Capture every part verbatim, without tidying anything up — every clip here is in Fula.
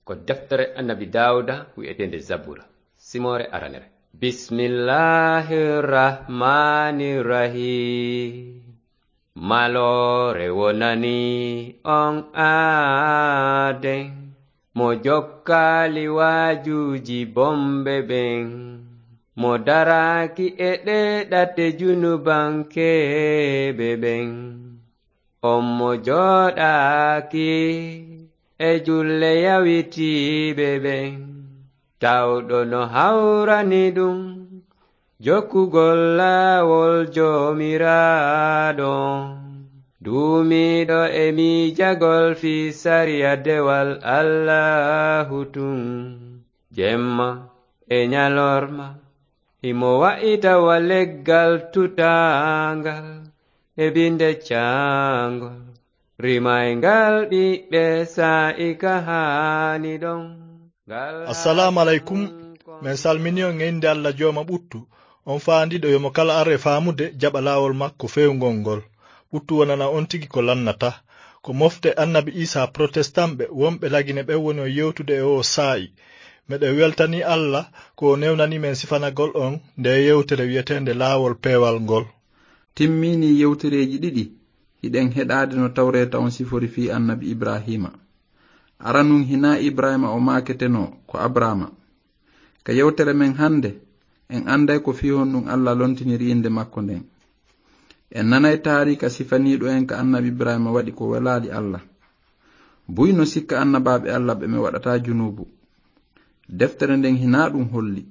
Ko deftere Annabi Daawuda wi'eteende Zabura, simoore aranere. Bismillahir Rahmanir Rahim. Maloore wonani on aaden, mo jokkaali waajuuji bomɓe ɓen, mo daraaki e ɗee ɗate junubankeeɓe ɓen. On mo jooɗaaki e julle yawitiiɓe ɓen, tawɗo no hawrani ɗum jokkugol laawol Joomiraaɗo, duumiiɗo e miijagol fii sariya dewal Allaahu tun, jemma e ñalorma. Himo wa'ita wa leggal tutaangal e binde caangol, rimayngal ɓiɓɓe saa'i ka haani ɗon. Ngal Assalaamu aleykum. Min salmini on e innde Alla Jooma ɓuttu, on faandiiɗo yo mo kala ar e faamude jaɓa laawol makko feewngol ngol. Ɓuttu wonana on tigi ko lannata. Ko mofte Annabi Iisaa protestanɓe wonɓe Lagine ɓen woni on yewtude e oo saa'i. Meɗen weltanii Alla ko o newnanii men sifanagol on ndee yewtere wi'eteende Laawol Peewal ngol. Timminii yewtereeji ɗiɗi hiɗen heɗaade no Tawreeta on sifori fii Annabi Ibraahiima. Aranun hinaa Ibraahiima o maaketenoo, ko Abraama. Ka yewtere men hannde, en annday ko fii honɗun Alla lontiniri innde makko nden. En nanay taariika sifaniiɗo en ka Annabi Ibraahiima waɗi ko welaali Alla. Buy no sikka annabaaɓe Alla ɓe ɓe waɗataa junuubu. Deftere nden hinaa ɗun holli.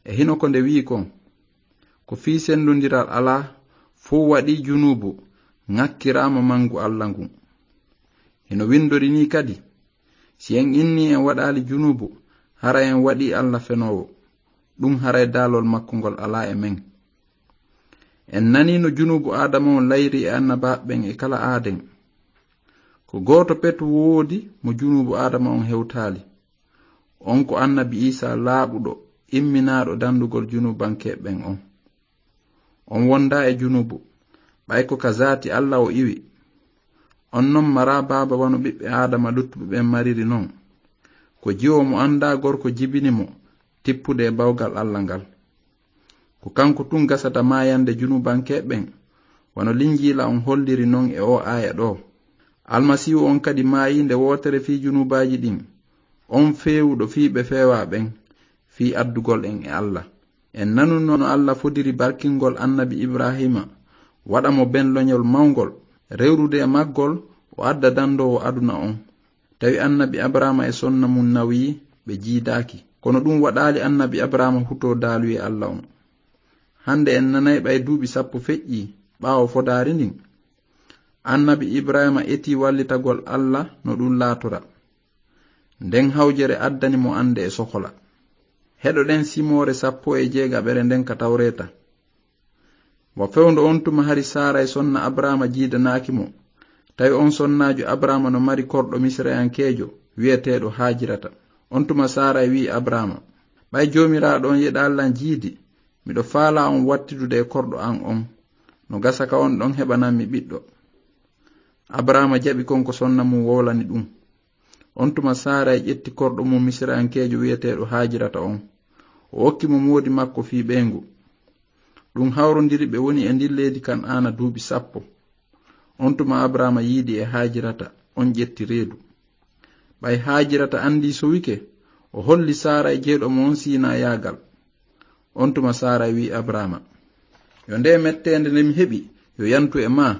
E hino ko nde wi'i kon, ko fii senndondiral alaa, fow waɗii junuubu, ŋakkiraama mangu Alla ngun. Hino winndori nii kadi, si en innii en waɗaali junuubu, haray en waɗii Alla fenoowo. Ɗun haray daalol makko ngol alaa e men. En nanii no junuubu Aadama on layri e annabaaɓe ɓen e kala aaden. Ko gooto pet woodi mo junuubu Aadama on hewtaali. On ko Annabi Iisaa laaɓuɗo, imminaaɗo dandugol junuubankeeɓe ɓen on. On wondaa e junuubu, ɓay ko ka zaati Alla o iwi. On non maraa baaba wano ɓiɓɓe Aadama luttuɓe ɓen mariri non. Ko jiwo mo anndaa gorko jibini mo tippude e bawgal Alla ngal. Ko kanko tun gasata maayande junuubankeeɓe ɓen, wano Linjiila on holliri non e oo aaya ɗoo. Almasiihu on kadi maayii nde wootere fii junuubaaji ɗin, on feewuɗo fii ɓe feewaa ɓen, fii addugol en e Alla. En nanuno no Alla fodiri barkingol Annabi Ibraahiima, waɗa mo ben loñol mawngol, rewrude e maggol, o adda dandoowo aduna on. Tawi Annabi Abraama e sonna mun nawyi, ɓe jiidaaki. Kono ɗun waɗaali Annabi Abraama hutoo daaluyee Alla on. Hande en nanay ɓay duuɓi sappo feƴƴii ɓaawo fodaari ndin. Annabi Ibraahiima etii wallitagol Alla no ɗun laatora. Nden hawjere addani mo annde e sokola. Heɗoɗen simoore sappo e jeegaɓere nden ka Tawreeta. Wa fewndo on tuma hari Saaray sonna Abraama jiidanaaki mo. Tawi on sonnaajo Abraama no mari korɗo Misirayankeejo wi'eteeɗo Haajirata. On tuma Saaray wi'i Abraama, "Ɓay Joomiraaɗo on yeɗaali lan jiidi, miɗo faalaa on wattidude e korɗo an on. No gasa ka on ɗon heɓanan mi ɓiɗɗo." Abraama jaɓi kon ko sonna mun wowlani ɗun. On tuma Saaray ƴetti korɗo mun Misirayankeejo wi'eteeɗo Haajirata on. O okki mo moodi makko fii ɓeyngu. Ɗun hawrondiri ɓe woni e ndin leydi Kan'aana duuɓi sappo. On tuma Abraama yiidi e Haajirata, on ƴetti reedu. Ɓay Haajirata andii sowike, o holli Saaray jeyɗo mo on siinayaagal. On tuma Saaray wi'i Abraama, "Yo ndee metteende nde mi heɓi, yo yantu e maa.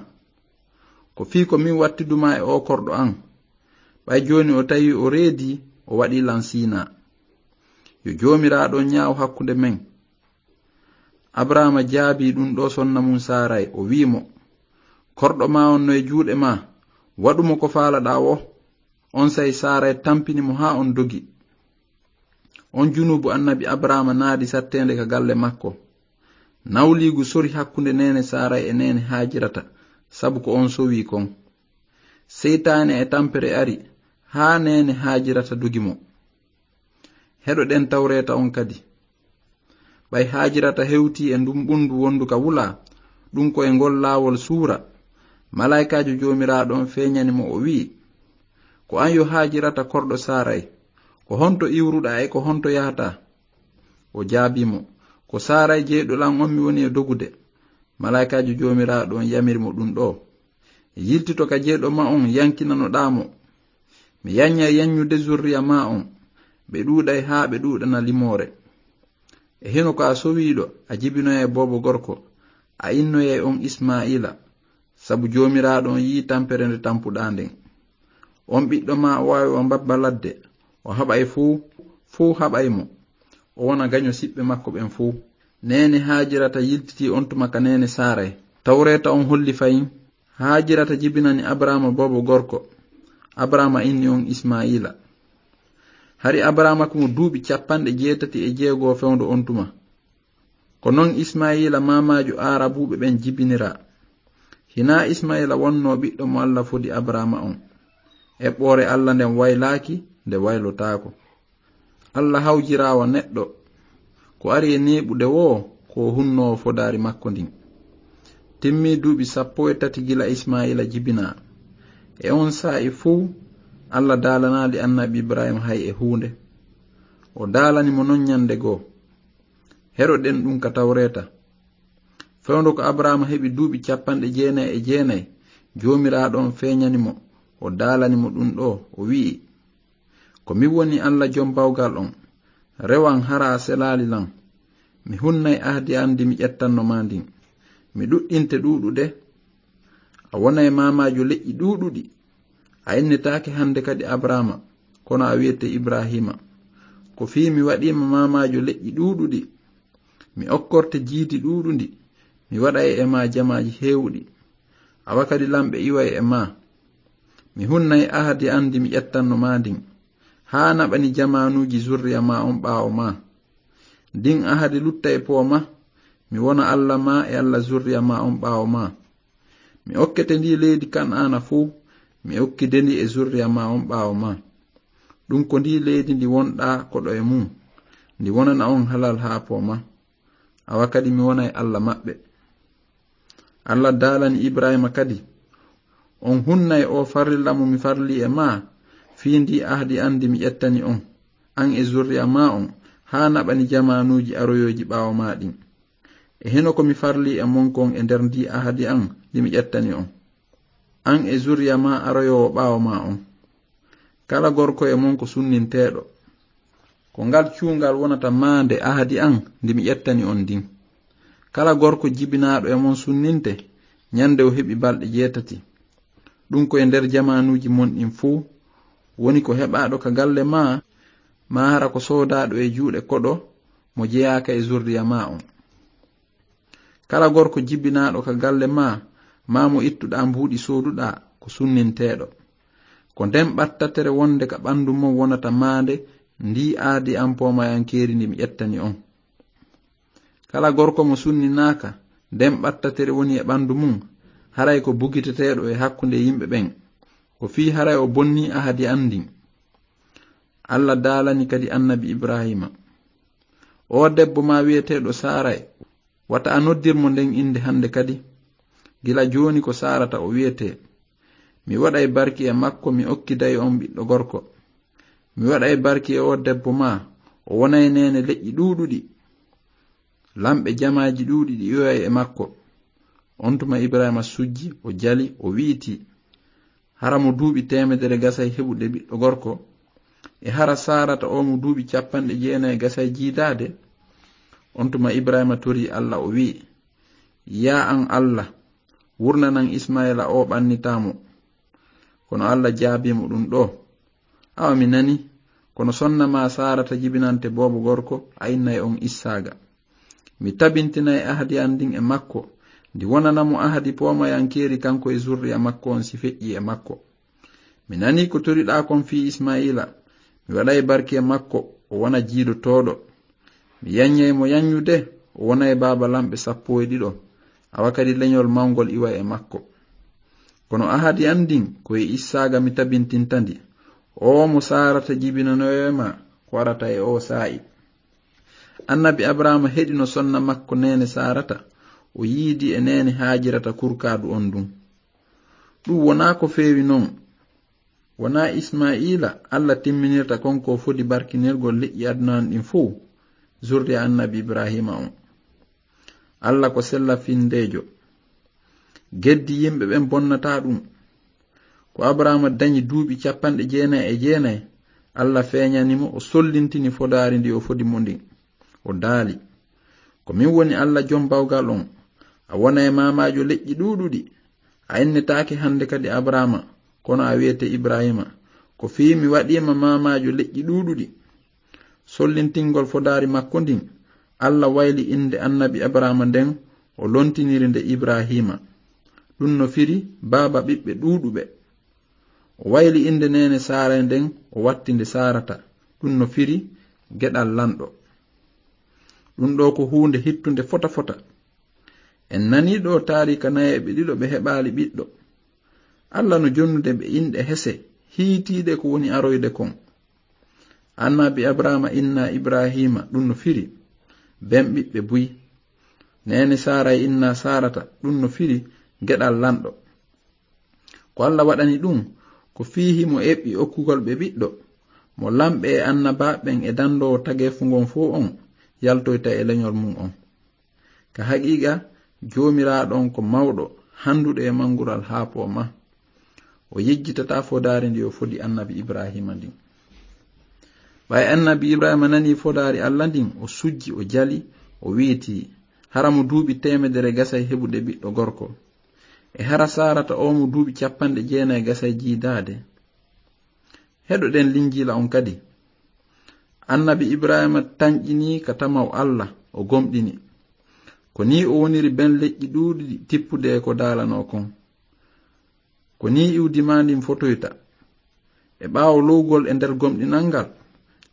Ko fii ko min wattidu maa e oo korɗo an. Ɓay jooni o tawi o reedii, o waɗii lan siinaa. Yo Joomiraaɗo on ñaaw hakkunde men." Abraama jaabii ɗun ɗoo sonna mun Saaray, o wi'i mo, "Korɗo maa on no e juuɗe maa, waɗu mo ko faalaɗaa woo." Onsay Saaray tampini mo haa on dogi. On junuubu Annabi Abraama naadi satteende ka galle makko. Nawliigu sori hakkunde neene Saaray e neene Haajirata, sabu ko on sowii kon. Seytaane e tampere ari haa neene Haajirata dogi mo. Heɗoɗen Tawreeta on kadi. Ɓay Haajirata hewtii e ndun ɓundu wondu ka wula, ɗun ko e ngol laawol suura, malaa'ikaajo Joomiraaɗo on feeñani mo, o wi'i, "Ko an yo Haajirata korɗo Saaray, "Ko honto iwruɗaa e ko honto yahataa?" O jaabii mo, "Ko Saaray jeyɗo lan on mi woni e dogude." Malaa'ikaajo Joomiraaɗo on yamiri mo ɗun ɗoo, "Yiltito ka jeyɗo ma on, yankinanoɗaa mo. Mi yanñay yanñude zurriya maa on, ɓe ɗuuɗay haa ɓe ɗuuɗana limoore. E hino ko a sowiiɗo, a jibinoyay boobo gorko, a innoyay on Ismaa'iila, sabu Joomiraaɗo on yi'ii tampere nde tampuɗaa nden. On ɓiɗɗo maa o waawi wa mbabba ladde, o haɓay fuu, fuu haɓay mo, o wona gaño siɓɓe makko ɓen fuu." Neene Haajirata yiltitii on tuma ka neene Saaray. Tawreeta on holli fayin, Haajirata jibinani Abraama boobo gorko. Abraama inni on Ismaa'iila. Hari Abraama ko mo duuɓi capanɗe jeetati e jeego fewndo on tuma. Ko non Ismaa'iila maamaajo Aarabuuɓe ɓen jibiniraa. Hinaa Ismaa'iila wonnoo ɓiɗɗo mo Alla fodi Abraama on. Eɓɓoore Alla nden waylaaki, nde waylotaako. Alla hawjiraa wa neɗɗo. Ko ari e neeɓude woo, ko o hunnoowo fodaari makko ndin. Timmii duuɓi sappo e tati gila Ismaa'iila jibinaa. E on saa'i fuu, Alla daalanaali annabi Ibrahiima hay e huunde. O daalani mo non ñande goo. Heroɗen ɗun ka Tawreeta. Fewndo ko Abraama heɓi duuɓi capanɗe jeenay e jeenay, Joomiraaɗo on feeñani mo, o daalani mo ɗun ɗoo, o wi'i, "Ko min woni Alla Jom Bawgal on. Rewan hara a selaali lan. Mi hunnay ahdi an ndi mi ƴettanno maa ndin. Mi ɗuɗɗinte ɗuuɗude. A wonay maamaajo leƴƴi ɗuuɗuɗi. A innetaake hande kadi Abraama, kono a wi'ete Ibrahiima. Ko fii mi waɗii ma maamaajo leƴƴi ɗuuɗuɗi. Mi okkorte jiidi ɗuuɗundi. Mi waɗay e maa jamaaji heewuɗi. Awa kadi lamɓe iway e maa. Mi hunnay ahadi an ndi mi ƴettanno maa ndin, haa naɓani jamaanuuji zurriya maa on ɓaawo maa. Ndin ahadi lutta e poo maa, mi wona Alla maa e Alla zurriya maa on ɓaawo maa. Mi okkete ndii leydi Kan'aana fow, mi okkide ndi e zurriya maa on ɓaawo maa. Ɗun ko ndii leydi ndi wonɗaa koɗo e mun, ndi wonana on halal haa poo maa. Awa kadi mi wonay Alla maɓɓe." Alla daalani Ibrahiima kadi, "On hunnay oo farilla mo mi farlii e maa, fii ndii ahadi an ndi mi ƴettani on, an e zurriya maa on, haa naɓani jamaanuuji aroyooji ɓaawo maa ɗin. E hino ko mi farlii e mon kon e nder ndii ahadi an ndi mi ƴettani on, an e zurriya maa aroyoowo ɓaawo maa on. Kala gorko e mon ko sunninteeɗo. Ko ngal cuungal wonata maande ahadi an ndi mi ƴettani on ndin. Kala gorko jibinaaɗo e mon sunninte, ñande o heɓi balɗe jeetati. Ɗun ko e nder jamaanuuji mon ɗin fow, woni ko heɓaaɗo ka galle maa, maa hara ko soodaaɗo e juuɗe koɗo mo jeyaaka e zurriya maa on. Kala gorko jibinaaɗo ka galle maa, maa mo ittuɗaa mbuuɗi sooduɗaa, ko sunninteeɗo. Ko nden ɓattatere wonde ka ɓandu mon wonata maande ndii ahadi an poomayankeeri ndi mi ƴettani on. Kala gorko mo sunninaaka, nden ɓattatere woni e ɓandu mun, haray ko bugiteteeɗo e hakkunde yimɓe ɓen. Ko fii haray o bonnii ahadi an ndin." Alla daalani kadi annabi Ibrahiima, "Oo debbo maa wi'eteeɗo Saaray, wata a noddir mo nden innde hande kadi. Gila jooni ko Saarata o wi'etee. Mi waɗay barki e makko, mi okkiday on ɓiɗɗo gorko. Mi waɗay barki e oo debbo maa, o wonay neene leƴƴi ɗuuɗuɗi. Lamɓe jamaaji ɗuuɗi ɗi iway e makko." On tuma Ibrahiima sujji, o jali, o wi'itii, "Hara mo duuɓi teemedere gasay heɓude ɓiɗɗo gorko? E hara Saarata oo mo duuɓi capanɗe jeenay gasay jiidaade?" On tuma Ibrahiima torii Alla, o wi'i, "Yaa an Alla, wurnanan Isma'iila oo ɓannitaa mo." Kono Alla jaabii mo ɗun ɗoo, "Awa mi nanii, kono sonna maa Saarata jibinante boobo gorko, a innay on Issaaqa. Mi tabintinay ahadi an ndin e makko, ndi wonana mo ahadi poomayankeeri kanko e zurriya makko on si feƴƴii e makko. Mi nanii ko toriɗaa kon fii Isma'iila, mi waɗay barki e makko, o wona jiidotooɗo. Mi yanñay mo yanñude, o wonay baaba lamɓe sappo e ɗiɗo, awa kadi leñol mawngol iwa e makko. Kono ahadi an ndin ko e Issaaqa mi tabintinta ndi, oo mo Saarata jibinanoyee ma ko arata e oo saa'i." Annabi Abrahaama heɗino sonna makko neene Saarata, o yiidi e neene Haajirata kurkaadu on ndun. Ɗun wonaa ko feewi non. Wonaa Ismaa'iila Alla timminirta kon ko fodi barkinirgol leƴƴi aduna on ɗin fow, zurriya Annabi Ibraahiima on. Alla ko sella findeejo. Geddi yimɓe ɓen bonnataa ɗum. Ko Abraama dañi duuɓi capanɗe jeenay e jeenay, Alla feeñani mo, o sollintini fodaari ndi o fodi mo ndin. O daali, "Ko min woni Alla Jom Bawgal on. A wona e maamaajo leƴƴi ɗuuɗuɗi. A innetaake hande kadi Abraama, kono a wi'ete Ibraahiima. Ko fii mi waɗii ma maamaajo leƴƴi ɗuuɗuɗi." Sollintingol fodaari makko ndin, Alla wayli innde Annabi Abraama nden, o lontiniri nde Ibraahiima. Ɗum no firi baaba ɓiɓɓe ɗuuɗuɓe. O wayli innde neene Saaray nden, o watti nde Saarata. Ɗum no firi geɗal lanɗo. Ɗum ɗoo ko huunde hittunde fota fota. En nanii ɗoo taariika nayeeɓe ɗiɗo ɓe heɓaali ɓiɗɗo. Alla no jonnude ɓe inɗe hese, hiitiiɗe ko woni aroyde kon. Annabi Abraama inna Ibraahiima, ɗum no firi ben ɓiɓɓe buy. Neene Saaray inna Saarata, ɗum no firi geɗal lanɗo. Ko Alla waɗani ɗum, ko fii himo eɓɓi okkugol ɓe ɓiɗɗo, mo lamɓe e annabaaɓe ɓen e dandoowo tageefu ngon fow on yaltoyta e leñol mum on. Ka haqiiqa, Joomiraaɗo on ko mawɗo, handuɗo e mangural haa pooma. O yejjitataa fodaari ndi o fodi Annabi Ibraahiima ndin. Ɓay Annabi Ibraahiima nanii fodaari Alla ndin, o sujji, o jali, o wiiti, hara mo duuɓi teemedere gasay heɓude ɓiɗɗo gorko. E hara Saarata oo mo duuɓi capanɗe jeenay gasay jiidaade. Heɗoɗen Linjiila on kadi. Annabi Ibraahiima tanƴinii ka tamaw Alla, o gomɗini. Ko nii o woniri ben leƴƴi ɗuuɗuɗi tippude e ko daalanoo kon. Ko nii iwdi maa ndin fotoyta. E ɓaawo lowgol e nder gomɗinal ngal,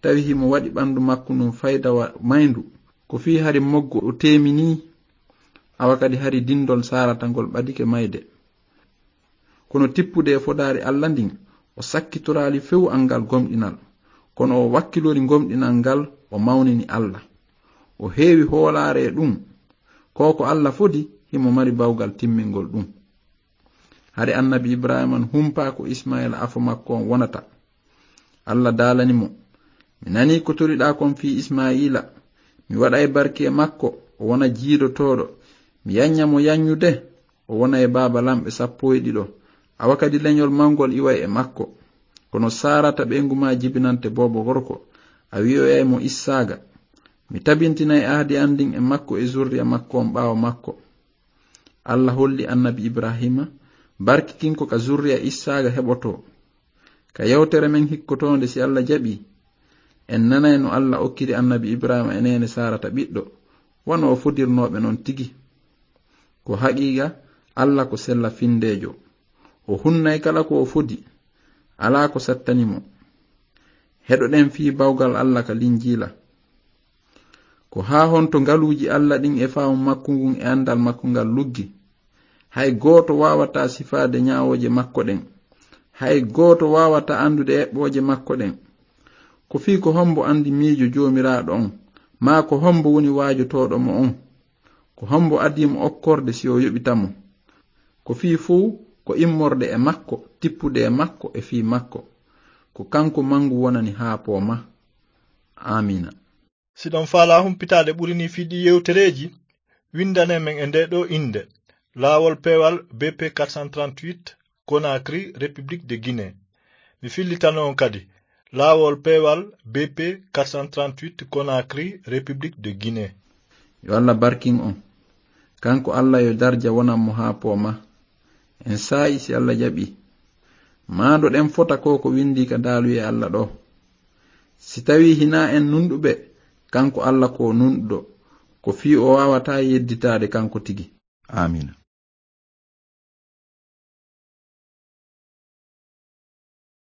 tawi himo waɗi ɓandu makko ndun fayda wa mayndu. Ko fii hari moggo o teeminii, awa kadi hari dindol Saarata ngol ɓadike mayde. Kono tippude e fodaari Alla ndin, o sakkitoraali few angal gomɗinal. Kono o wakkilori gomɗinal ngal, o mawnini Alla. O heewi hoolaare e ɗum. Ko ko Alla fodi, himo mari bawgal timmingol ɗum. Hari Annabi Ibraahiima no humpaa ko Ismaa'iila afo makko on wonata. Alla daalani mo, "Mi nanii ko toriɗaa kon fii Ismaa'iila. Mi waɗay barki e makko, o wona jiidotooɗo. Mi yanña mo yanñude, o wona e baaba lamɓe sappo e ɗiɗo. Awa kadi leñol mawngol iway e makko. Kono Saarata ɓeyngu maa jibinante boobo gorko, a wi'oyay mo Issaaqa. Mi tabintinay ahdi an ndin e makko e zurriya makko on ɓaawo makko." Alla holli Annabi Ibraahiima barki kin ko ka zurriya Issaaqa heɓotoo. Ka yewtere men hikkotoonde, si Alla jaɓii, en nanay no Alla okkiri Annabi Ibraahiima e neene Saarata ɓiɗɗo, wano o fodirnoo ɓe non tigi. Ko haqiiqa, Alla ko sella findeejo. O hunnay kala ko o fodi. Alaa ko sattani mo. Heɗoɗen fii bawgal Alla ka Linjiila. Ko haa honto ngaluuji Alla ɗin e faamu makko ngun e andal makko ngal luggi? Hay gooto waawataa sifaade ñaawooje makko ɗen. Hay gooto waawataa andude eɓɓooje makko ɗen. Ko fii ko hombo andi miijo Joomiraaɗo on? Maa ko hombo woni waajotooɗo mo on? Ko hombo adii mo okkorde si o yoɓita mo? Ko fii fow ko immorde e makko, tippude e makko e fii makko. Ko kanko mangu wonani haa pooma. Aamiina. Si ɗon faalaa humpitaade ɓuri nii fii ɗii yewtereeji, winndane men e ndee ɗoo innde, Laawol Peewal B P quatre cent trente-huit, Conakry, République de Guinée. Mi fillitano on kadi, Laawol Peewal B P quatre cent trente-huit, Conakry, République de Guinée. Yo Alla barkin on. Kanko Alla yo darja wonan mo haa pooma. En saa'i si Alla jaɓii. Maandoɗen fota ko ko winndii ka daaluye Alla ɗoo. Si tawii hinaa en nunɗuɓe, kanko Alla ko nunɗuɗo, ko fii o waawataa yedditaade kanko tigi. Aamiina.